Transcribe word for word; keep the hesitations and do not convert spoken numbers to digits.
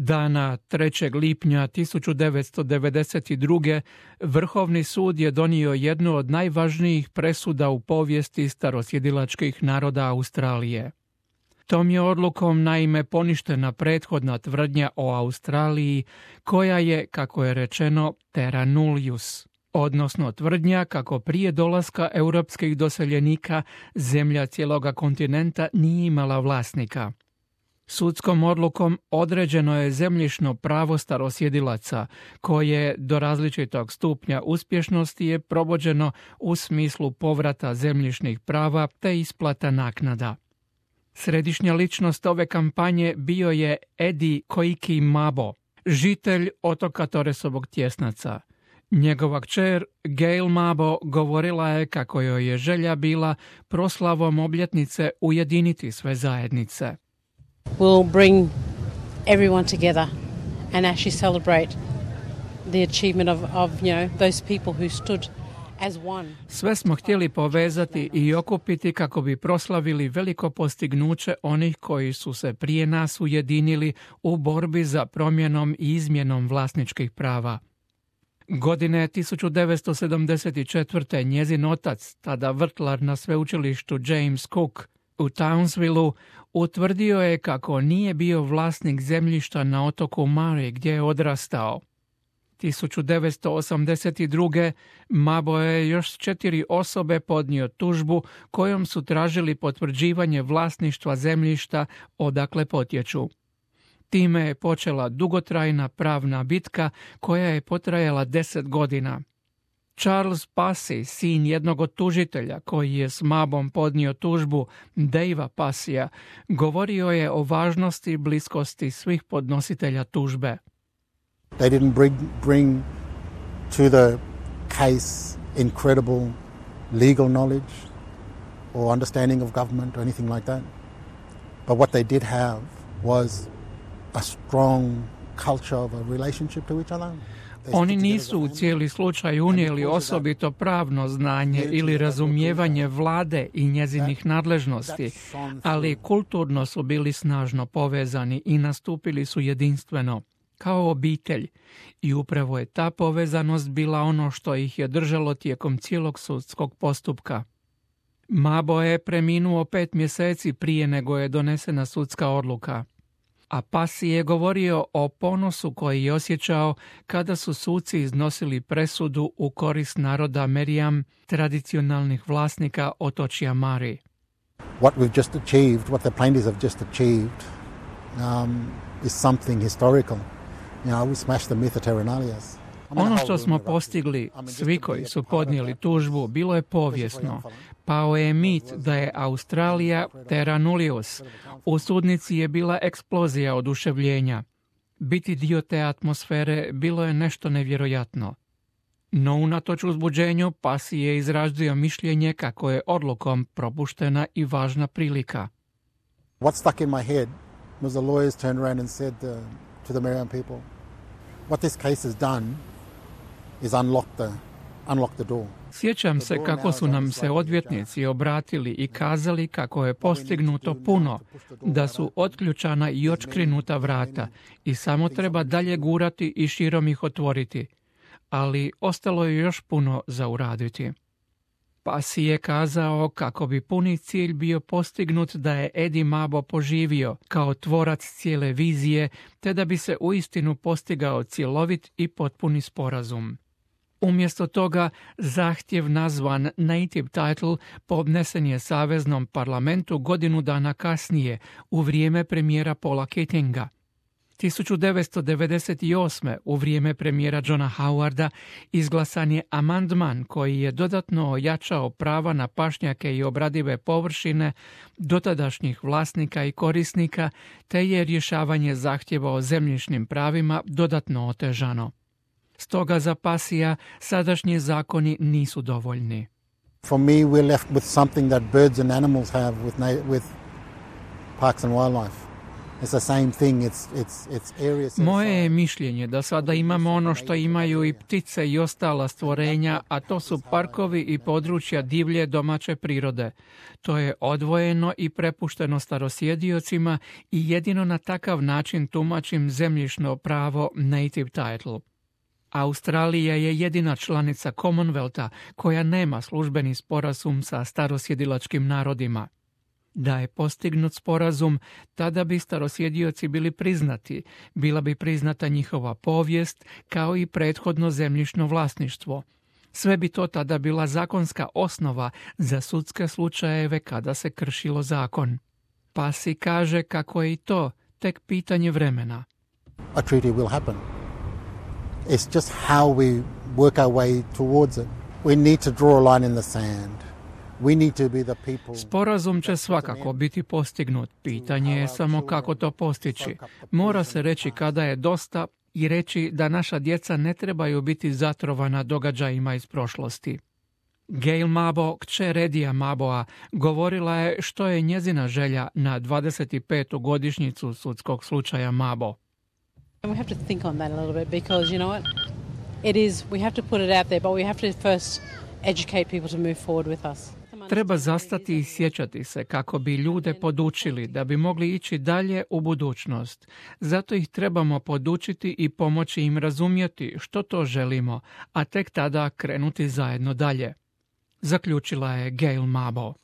Dana trećeg lipnja tisuću devetsto devedeset druge. Vrhovni sud je donio jednu od najvažnijih presuda u povijesti starosjedilačkih naroda Australije. Tom je odlukom naime poništena prethodna tvrdnja o Australiji koja je, kako je rečeno, terra nullius, odnosno tvrdnja kako prije dolaska europskih doseljenika zemlja cijeloga kontinenta nije imala vlasnika. Sudskom odlukom određeno je zemljišno pravo starosjedilaca, koje do različitog stupnja uspješnosti je provođeno u smislu povrata zemljišnih prava te isplata naknada. Središnja ličnost ove kampanje bio je Eddie Koiki Mabo, žitelj otoka Torresovog Tjesnaca. Njegova kćer Gail Mabo govorila je kako joj je želja bila proslavom obljetnice ujediniti sve zajednice. We'll bring everyone together and actually celebrate the achievement of, of you know, those people who stood as one. Sve smo htjeli povezati i okupiti kako bi proslavili veliko postignuće onih koji su se prije nas ujedinili u borbi za promjenom i izmjenom vlasničkih prava. Godine tisuću devetsto sedamdeset četvrte. njezin otac, tada vrtlar na sveučilištu James Cook u Townsvilleu, utvrdio je kako nije bio vlasnik zemljišta na otoku Mare gdje je odrastao. tisuću devetsto osamdeset druge. Mabo je još četiri osobe podnio tužbu kojom su tražili potvrđivanje vlasništva zemljišta odakle potječu. Time je počela dugotrajna pravna bitka koja je potrajala deset godina. Charles Passy, sin jednog od tužitelja koji je s Mabom podnio tužbu, Davea Passya, govorio je o važnosti i bliskosti svih podnositelja tužbe. They didn't bring, bring to the case incredible legal knowledge or understanding of government or anything like that. But what they did have was a strong culture of a relationship to each other. Oni nisu u cijeli slučaj unijeli osobito pravno znanje ili razumijevanje vlade i njezinih nadležnosti, ali kulturno su bili snažno povezani i nastupili su jedinstveno, kao obitelj. I upravo je ta povezanost bila ono što ih je držalo tijekom cijelog sudskog postupka. Mabo je preminuo pet mjeseci prije nego je donesena sudska odluka. A Passy je govorio o ponosu koji je osjećao kada su suci iznosili presudu u korist naroda Meriam, tradicionalnih vlasnika otočja Mare. What we've just achieved, what the plaintiffs have just achieved, um, is something historical. You know, we smashed the myth of terra nullius. Ono što smo postigli, svi koji su podnijeli tužbu, bilo je povijesno. Pao je mit da je Australija terra nullius. U sudnici je bila eksplozija oduševljenja. Biti dio te atmosfere bilo je nešto nevjerojatno. No unatoč uzbuđenju, Passy je izrazio mišljenje kako je odlukom propuštena i važna prilika. What stuck in my head was the lawyers turned around and said uh, to the Meriam people, what this case has done is unlock the, unlock the door. Sjećam se kako su nam se odvjetnici obratili i kazali kako je postignuto puno, da su otključana i odškrinuta vrata i samo treba dalje gurati i širom ih otvoriti. Ali ostalo je još puno za uraditi. Passy je kazao kako bi puni cilj bio postignut da je Eddie Mabo poživio kao tvorac cijele vizije, te da bi se uistinu postigao cjelovit i potpuni sporazum. Umjesto toga, zahtjev nazvan Native Title podnesen je Saveznom parlamentu godinu dana kasnije, u vrijeme premijera Paula Keatinga. tisuću devetsto devedeset osme. u vrijeme premijera Johna Howarda izglasan je amandman koji je dodatno ojačao prava na pašnjake i obradive površine dotadašnjih vlasnika i korisnika, te je rješavanje zahtjeva o zemljišnim pravima dodatno otežano. Stoga za Pasija sadašnji zakoni nisu dovoljni. For me, we're left with something that birds and animals have with, na- with parks and wildlife. It's the same thing. It's, it's, it's areas Moje je mišljenje da sada imamo ono što imaju i ptice i ostala stvorenja, a to su parkovi i područja divlje domaće prirode. To je odvojeno i prepušteno starosjediocima i jedino na takav način tumačim zemljišno pravo native title. Australija je jedina članica Commonwealtha koja nema službeni sporazum sa starosjedilačkim narodima. Da je postignut sporazum, tada bi starosjedioci bili priznati, bila bi priznata njihova povijest kao i prethodno zemljišno vlasništvo. Sve bi to tada bila zakonska osnova za sudske slučajeve kada se kršilo zakon. Pasi kaže kako je i to tek pitanje vremena. A treaty will happen. It's just how we work our way towards it. We need to draw a line in the sand. We need to be the people. Sporazum će svakako biti postignut. Pitanje je samo kako to postići. Mora se reći kada je dosta i reći da naša djeca ne trebaju biti zatrovana događajima iz prošlosti. Gail Mabo, kćer Eddija Maboa, govorila je što je njezina želja na dvadeset petu godišnjicu sudskog slučaja Mabo. And we have to think on that a little bit because, you know what, it is, we have to put it out there, but we have to first educate people to move forward with us. Treba zastati i sjećati se kako bi ljude podučili da bi mogli ići dalje u budućnost. Zato ih trebamo podučiti i pomoći im razumjeti što to želimo, a tek tada krenuti zajedno dalje. Zaključila je Gail Mabo.